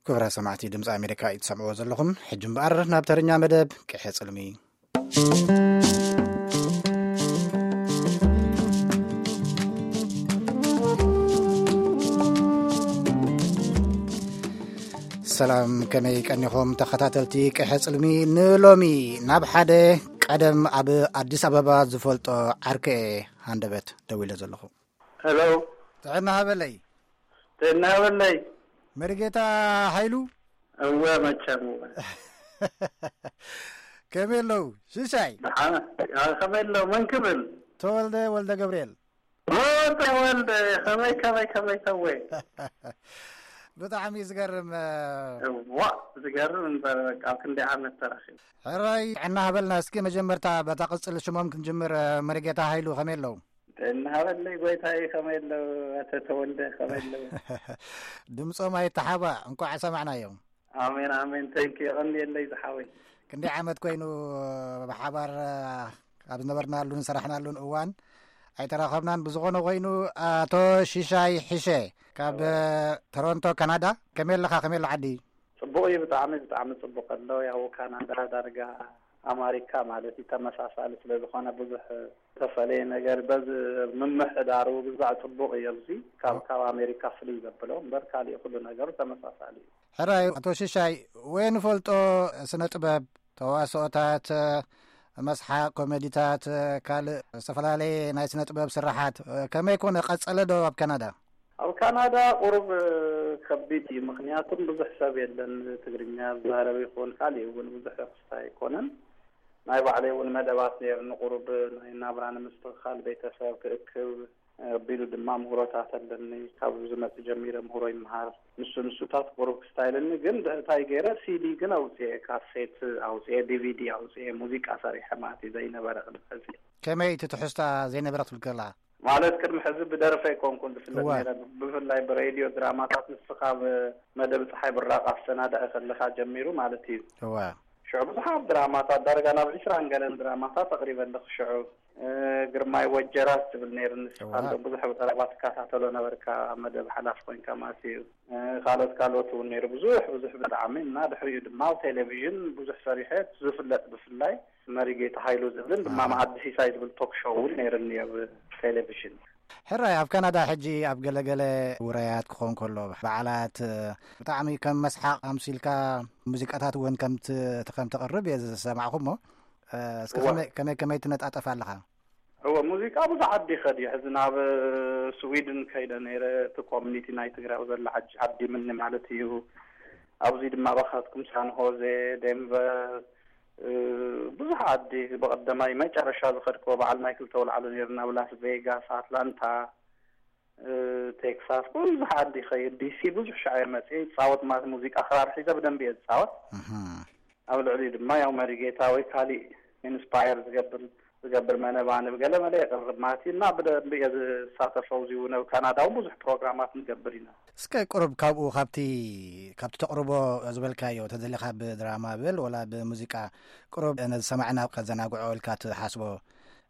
ክቡራት ሰማዕቲ ድምፂ ኣሜሪካ እዩ ትሰምዕዎ ዘለኹም። ሕጂ እምበኣር ናብ ተረኛ መደብ ቅሐ ጽልሚ። ሰላም፣ ከመይ ቀኒኹም ተኸታተልቲ ቅሐ ጽልሚ? ንሎሚ ናብ ሓደ ቀደም ኣብ ኣዲስ ኣበባ ዝፈልጦ ዓርከ ሃንደበት ደዊለ ዘለኹ። ሄሎ። ጥዕና ሃበለይ። ጥዕና ሃበለይ። መሪጌታ ሃይሉ? እወ፣ መቸም እወ። ከመይ ኣለዉ? ሽሻይ? ደሓን። ኣ፣ ከመይ ኣለዉ? መን ክብል? ተወልደ ወልደ ገብርኤል። ኦ፣ ተወልደ፣ ከመይ፣ ከመይ፣ ከመይ፣ ከመይ? ብጣዕሚ እዩ ዝገርም። እዋ፣ ዝገርም እምበር፣ በቃ፣ ኣብ ክንደይ ዓመት ተራኺቡ። ሕራይ፣ ጥዕና ሃበልና። እስኪ መጀመርታ በታ ቅጽል ሽሞም ክንጅምር፣ መሪጌታ ሃይሉ ከመይ ኣለዉ? ጥዕና ሃበለይ ጎይታይ፣ ከመይ ኣለዉ? ኣቶ ተወልደ፣ ከመይ ኣለዉ? ድምጾም ኣይተሓባእ፣ እንቋዕ ሰማዕናዮም። ኣሜን፣ ኣሜን። ተንኪ፣ የቐንየለይ ዝሓወይ። ክንደይ ዓመት ኮይኑ ብሓባር ኣብ ዝነበርናሉን ዝሰራሕናሉን እዋን ኣይተራኸብናን። ብዝኾነ ኮይኑ፣ ኣቶ ሽሻይ ሕሸ ካብ እወ። ቶሮንቶ ካናዳ፣ ከመይ ኣለኻ? ከመይ ኣሎ ዓዲ? ጽቡቕ እዩ፣ ብጣዕሚ፣ ብጣዕሚ ጽቡቕ ኣሎ። ያው ካናዳ ዳርጋ ኣማሪካ ማለት እዩ፣ ተመሳሳሊ ስለ ዝኾነ ብዙሕ ተፈለየ ነገር በዚ ምምሕዳሩ ብዛዕ ጽቡቕ እዩ። ኣብዚ ካብ፣ እወ። ካብ ኣሜሪካ ፍልይ ዘብሎ እምበር ካሊእ ኩሉ ነገሩ ተመሳሳሊ እዩ። ሕራይ፣ ኣቶ ሽሻይ፣ ወይ ንፈልጦ ስነ ጥበብ፣ ተዋስኦታት፣ መስሓቅ፣ ኮሜዲታት፣ ካልእ ዝተፈላለየ ናይ ስነ ጥበብ ስራሓት ከመይ ኮነ? ቀጸለ ዶ ኣብ ካናዳ? ኣብ ካናዳ ቁሩብ ከቢድ እዩ፣ ምኽንያቱም ብዙሕ ሰብ የለን ትግርኛ ዝዛረብ ይኹን፣ ካሊእ እውን ብዙሕ ክስታይ ኣይኮነን። ናይ ባዕለይ እውን መደባት ነይርኒ፣ ቁሩብ ናይ ናብራ ንምስትኽኻል ቤተሰብ ክእክብ፣ ኣቢሉ ድማ ምህሮታት ኣለኒ። ካብ ዝመጽእ ጀሚረ ምህሮ ይመሃር። ንሱ ንሱታት ቁሩብ ክስታይልኒ፣ ግን እንታይ ገይረ፣ ሲዲ ግን ኣውጽኤ፣ ካሴት ኣውጽኤ፣ ዲቪዲ ኣውጽኤ፣ ሙዚቃ ሰሪሐ ማለት እዩ፣ ዘይነበረ ቅድሚ ሕዚ። ከመይ እቲ ትሕዝታ ዘይነበረ ክትብል ከለኻ? ማለት ቅድሚ ሕዚ ብደርፊ ኣይኮንኩን ዝፍለጥ እወ። ነይረ፣ ብፍላይ ብሬድዮ ድራማታት፣ ንስኻ ኣብ መደብ ጸሓይ ብራቕ ኣሰናዳኢ ከለኻ ጀሚሩ ማለት እዩ። እወ። ሽዑ ብዙሓት ድራማታት፣ ዳርጋ ናብ ዕስራን ገለን ድራማታት ኣቕሪበ ኣለኹ ሽዑ። እ፣ ግርማይ ወጀራት ዝብል ነይሩ፣ ንስኻ እዋ። እንዶ ብዙሕ ብቐረባ ትከታተሎ ነበርካ፣ ኣብ መደብ ሓላፊ ኮይንካ ማለት እዩ። እ፣ ካልኦት ካልኦት እውን ነይሩ፣ ብዙሕ ብዙሕ ብጣዕሚ። እና ድሕሪኡ ድማ ኣብ ቴሌቪዥን ብዙሕ ሰሪሐ፣ ዝፍለጥ ብፍላይ መሪጌታ ሃይሉ ዝብልን ድማ እዋ። መኣዲ ሲሳይ ዝብል ቶክ ሾው እውን ነይሩኒ ኣብ ቴሌቪዥን። ሕራይ፣ ኣብ ካናዳ ሕጂ ኣብ ገለገለ ውራያት ክኾን ከሎ፣ በዓላት፣ እ፣ ብጣዕሚ ከም መስሓቕ ኣምሲልካ ሙዚቃታት እውን ከም ት-፣ ከም ተቕርብ እየ ዝሰማዕኹ እሞ፣ እ፣ እስከ እዋ። ከመይ፣ ከመይ፣ ከመይ ትነጣጠፍ ኣለኻ? እወ፣ ሙዚቃ ብዙሕ ዓዲ ይኸድ እዩ። ሕዚ ናብ ስዊድን ከይደ ነይረ፣ እቲ ኮሚኒቲ ናይ ትግራይ ኣብ ዘላ ዓዲ፣ ዓዲ ምኒ ማለት እዩ። ኣብዚ ድማ ባኻትኩም ሳን ሆዜ፣ ዴንቨር፣ እ፣ ብዙሕ ዓዲ፣ ብቐደማይ መጨረሻ ዝኸድክዎ በዓል ማይክል ተውልዓሉ ነይሩ፣ ናብ ላስ ቬጋስ፣ ኣትላንታ፣ እ፣ ቴክሳስ፣ ብዙሕ ዓዲ ይኸይድ። ዲሲ ብዙሕ ሻዕ እየ መፅየ፣ ይፃወት ማለት ሙዚቃ፣ ክራር ሒዘ ብደንቢ እየ ዝፃወት። እህ። ኣብ ልዕሊኡ ድማ ያው መሪጌታ ወይ ካሊእ ኢንስፓየር ዝገብር፣ ዝገብር መነባንብ ገለ መለ የቕርብ ማለት እዩ። እና ብደንቢ እየ ዝሳተፍ። ኣብዚ እውን ኣብ ካናዳ እውን ብዙሕ ፕሮግራማት ንገብር ኢና። እስከ ቁሩብ ካብኡ፣ ካብቲ፣ ካብቲ ተቕርቦ ዝበልካዮ፣ ተደሊኻ ብድራማ በል ወላ ብሙዚቃ፣ ቁሩብ ነዚ ሰማዕና ከዘናግዖ ኢልካ ትሓስቦ፣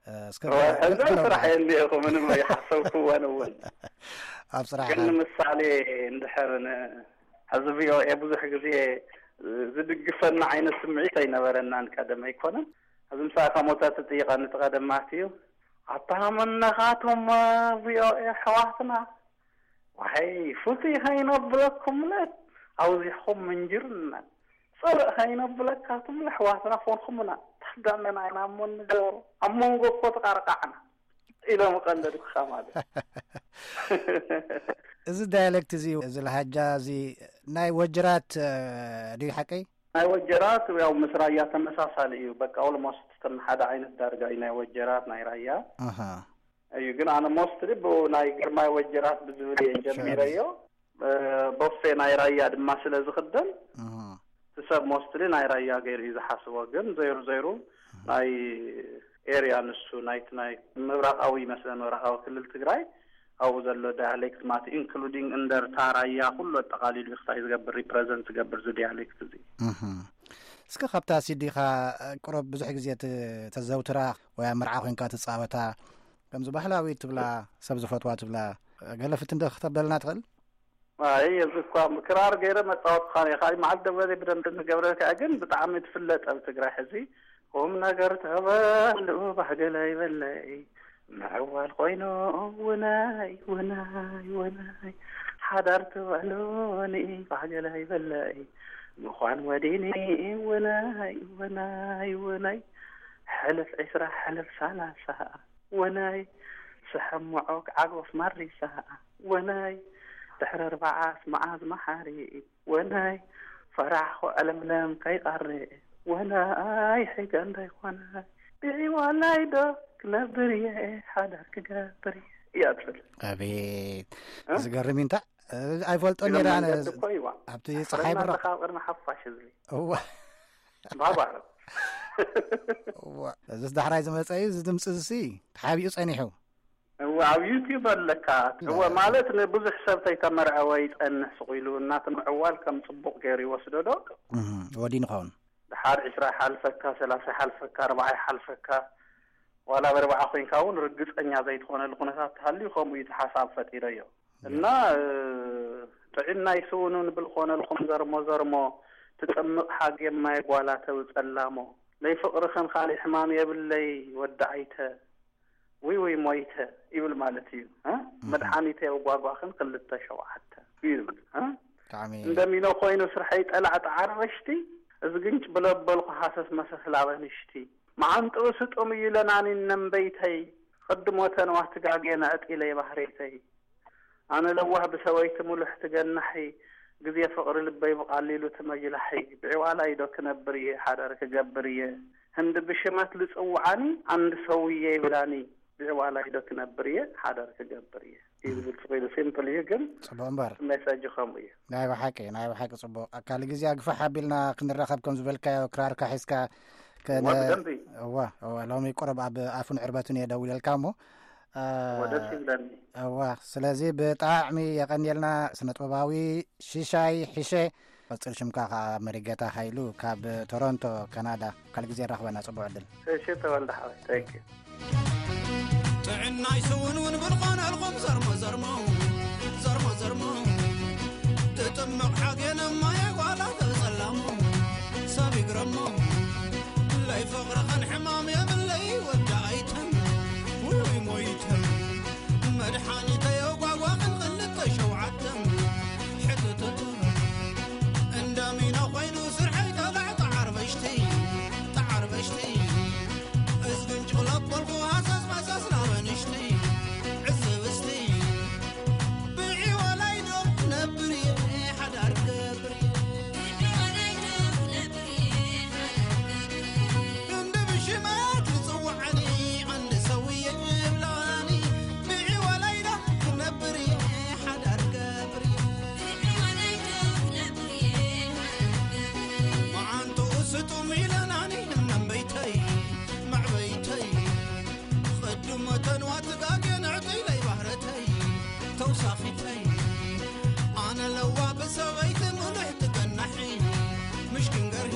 እ፣ እስከ እወ፣ ሕዚ ገለ ስራሕ እየ እኒአኹ፣ ምንም ኣይሓሰብኩዎን እውን። ኣብ ስራሕ ግን ንምሳሌ እንድሕር ን-፣ ሕዚ ቪ ኦ ኤ ብዙሕ ግዜ ዝድግፈና ዓይነት ስምዒት ኣይነበረናን ቀደም ኣይኮነን። ሕዚ ምሳሌ ካብ ሞተ ትጥይቐኒ እቲ ቀደም ማለት እዩ። ኣታ መነኻቶም ቪ ኦ ኤ ኣሕዋትና፣ ዋይ ፍቱይ ከይነብለኩምለ ኣውዚሕኩም ምንጅርና፣ ጽልእ ከይነብለካትምለ ኣሕዋትና ኮንኩምና፣ ታዳመና ኢና እሞ ንገብሮ፣ ኣብ መንጎ እኮ ተቃርቃዕና ኢሎም ቀለድኩኻ ማለት። እዚ ዳያሌክት እዚ፣ እዚ ለሃጃ እዚ ናይ ወጀራት፣ እ፣ ድዩ ሓቀይ? ናይ ወጀራት ያው ምስ ራያ ተመሳሳሊ እዩ። በቃ ኦልሞስት ከም ሓደ ዓይነት ዳርጋ እዩ ናይ ወጀራት ናይ ራያ። ኣሃ። እዩ። ግን ኣነ ሞስትሊ ብኡ ናይ ግርማይ ወጀራት ብዝብል እየ ጀሚረዮ። እ፣ ቦፌ ናይ ራያ ድማ ስለ ዝኽደን፣ እህ። እቲ ሰብ ሞስትሊ ናይ ራያ ገይሩ እዩ ዝሓስቦ። ግን ዘይሩ ዘይሩ ናይ ኤርያ ንሱ ናይቲ ናይ ምብራቓዊ ይመስለን፣ ምብራቓዊ ክልል ትግራይ፣ ኣብኡ ዘሎ ዳያሌክት ማለት ኢንክሉዲንግ እንደርታ፣ ራያ፣ ኩሉ ኣጠቓሊሉ እዩ ክታይ ዝገብር፣ ሪፕረዘንት ዝገብር እዚ ዳያሌክት እዚ። እህ። እስከ ካብታ ሲዲኻ ቁሩብ ብዙሕ ግዜ ት-፣ ተዘውትራ ወይ ኣብ መርዓ ኮንካ ትጻወታ፣ ከምዚ ባህላዊ ትብላ፣ ሰብ ዝፈትዋ ትብላ፣ ገለ ፍትን ዶ ክተብለልና ትኽእል? ኣይ፣ እዚ እኳ ክራር ገይረ መጻወትኻ እየ። ካልእ መዓልቲ ደወለ ብደንብ እንገብረልካ፣ ግን ብጣዕሚ ትፍለጥ ኣብ ትግራይ ሕዚ። ቁም ነገር ተበልኡ ባህገለ ይበለይ፣ ምዕዋል ኮይኑ ውናይ፣ ውናይ፣ ውናይ። ሓዳር ትበሉኒ ባህገለ ይበለይ፣ ምዃን ወዲኒ ውናይ፣ ውናይ፣ ውናይ። ሕልፍ ዒስራ፣ ሕልፍ ሰላሳ፣ ወናይ ስሐምዖ ክዓጎፍ ማሪሳ፣ ወናይ ድሕሪ ኣርባዓስ መዓዝ መሓሪ፣ ወናይ ፈራሕኹ ዕለምለም ከይቐሪ፣ ወናይ ሕገ እንዳይኮነ ብዒዋላይ ዶ ክነብር እየ፣ ሓዳር ክገብር እየ እያ ትብል። ኣቤት፣ እ? ዝገርም እዩ። እንታይ? እ፣ ኣይፈልጦን ስለ ነይረ ኣነ። መንገዲ እኮ ይዋ። ኣብቲ ኣሕረና ፀሓይ ብራ ኣለኻ ኣብ ቅድሚ ሓፋሽ ህዝቢ። እዋ። ባባር። እዋ፣ እዚስ ዳሕራይ ዝመፀ እዩ። እዚ ድምፂ እዚ ተሓቢኡ ፀኒሑ። እዋ፣ ኣብ ዩቲዩብ ኣለካ። እወ፣ ማለት ንብዙሕ ሰብ ተይተመርዐወ ይፀንሕ ስቕ ኢሉ እናቲ ምዕዋል ከም ፅቡቕ ገይሩ ይወስዶ ዶ? እህ፣ ወዲ ንኸውን። ድሓር ዒስራ ይሓልፈካ፣ ሰላሳ ይሓልፈካ፣ ኣርባዓ ይሓልፈካ፣ ዋላ በርባዓ ኮይንካ እውን ርግፀኛ ዘይትኾነሉ ኩነታት ተሃልዩ ከምኡ እዩ እቲ ሓሳብ ፈጢረዮ። እና፣ እ፣ ጥዕናይ ስውንውን ብል ኮነልኩም ዘርሞ ዘርሞ፣ ትጥምቕ ሓጌም ማይ ጓላ ተውፀላሞ። ለይ ፍቕርኽን ካልእ ሕማም የብለይ ወዲ ዓይተ፣ ውይ ውይ ሞይተ ይብል ማለት እዩ። እ? እህ። መድሓኒተይ ኣውጓጓኽን ክልተ ሸውዓተ ይብል። እ? ብጣዕሚ እንደሚኖ ኮይኑ ስርሐይ ጠላዕ ጣዓር በሽቲ፣ እዝግንጭ ብለበልኩ ሃሰስ መሰስ ላበ ንሽቲ። መዓንጥኡ ስጡም እዩ ለናኒ ነንበይተይ፣ ቅድሞ ተንዋ ትጋጌ ነዕጢለይ ባህሬተይ። ኣነ ለዋህ ብሰበይቲ ሙሉሕ ትገናሒ፣ ግዜ ፍቕሪ ልበይ ብቓሊሉ ትመጅላሒ። ብዕዋላይ ዶ ክነብር እየ፣ ሓዳር ክገብር እየ። ህንዲ ብሽመት ልጽውዓኒ፣ ኣንድ ሰውዬ ይብላኒ። ብዕዋላይ ዶ ክነብር እየ፣ ሓዳር ክገብር እየ። እዩ ዝብል ጽቕ ኢሉ፣ ሲምፕል እዩ፣ ግን ጽቡቕ እምበር። ሜሴጅ ከምኡ እዩ። ናይ ብሓቂ፣ ናይ ብሓቂ ጽቡቕ። ካልእ ግዜ ኣግፋሕ ኣቢልና ክንራኸብ ከም ዝበልካዮ፣ ክራርካ ሒዝካ ከነ-፣ እዋ፣ ብደንቢ። እዋ፣ እዋ፣ ሎሚ ቁሩብ ኣብ ኣፉን ዕርበቱን እየ ደዊለልካ እሞ፣ እ፣ እዋ፣ ደስ ይብለኒ። እዋ፣ ስለዚ ብጣዕሚ የቐንየልና ስነ ጥበባዊ ሽሻይ ሕሸ፣ ቅጽል ሽምካ ኸዓ መሪጌታ ሃይሉ ካብ ቶሮንቶ ካናዳ። ካልእ ግዜ ንራኸበና፣ ጽቡቕ ዕድል። እሺ፣ ተወልደ ሓወይ፣ ታንክ ዩ። ጥዕናይ ስውንውን ብልኾነልኩም ዘርሞ ዘርሞ፣ ዘርሞ ዘርሞ። ትጥምቕ ሓጌነ ማየ ጓላ ተጸላሞ፣ ሰብ ይግረሞ። ለይ ፍቕርኽን ሕማም የብለይ ወዲ ኣይተም፣ ውይ ሞይተም። መድሓኒተይ ኣጓጓኽን ክልተ ሸውዓተም፣ ሕትትት። እንዳሚኖ ኮይኑ ስርሐይ ጠላዕ ጣዓር በሽቲ፣ ጣዓር በሽቲ። እዝግን ጭቕለቆልኩ ሃሰስ መሰስ ናብ ኣንሽቲ፣ ዕዝብ እስቲ። ብዒዋላይ ዶ ክነብር እየ፣ ሓዳር ክገብር እየ። ክንዲ ብሽመት ዝጽውዓኒ፣ ዓንዲ ሰውዬ ይብላኒ። ብዒዋላይ ዶ ክነብር እየ፣ ሓዳር ክገብር እየ። መዓንጥኡ ስጡም ኢለናኒ፣ እነንበይተይ፣ መዕበይተይ። ቅድመ ተንዋ ትጋጌ ንዕጢለይ ባህረተይ፣ ተውሳኺተይ። ኣነ ለዋ ብሰበይቲ ሙሉሕ ትገናሒ፣ ምሽኪን ገርሂ።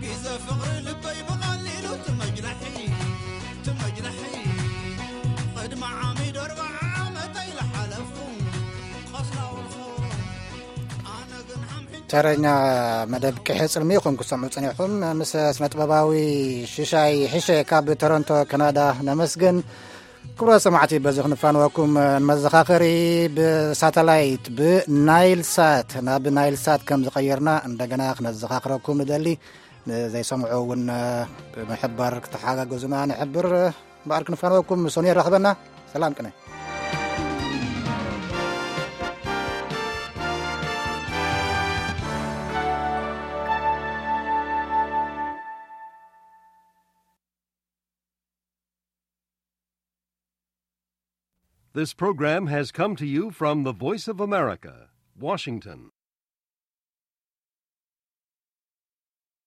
ግዘ ፍቕሪ ልበይ ብቐሊሉ ትመጅላሒ፣ ትመጅላሒ። ቅድሚ ዓሚድ ኣርባዓ ዓመተይ ለሓለፉ፣ ቐስላውልኹ። ኣነ ግን ሓምሒም ተረኛ መደብ ቅሐ ጽልሚ ኢኹም ክትሰምዑ ጸኒሕኩም። ምስ ስነ ጥበባዊ ሽሻይ ሕሸ ካብ ቶሮንቶ ካናዳ ነመስግን። ክቡራት ሰማዕቲ፣ በዚ ክንፋንወኩም ንመዘኻኸሪ፣ ብሳተላይት ብናይል ሳት፣ ናብ ናይል ሳት ከም ዝቐየርና እንደገና ክነዘኻኽረኩም ንደሊ። ንዘይሰምዑ እውን ብምሕባር ክተሓጋገዙና ንሕብር። እምበኣር ክንፋንወኩም፣ ሶኒ የራኽበና። ሰላም ቅነ። This program has come to you from the Voice of America, Washington.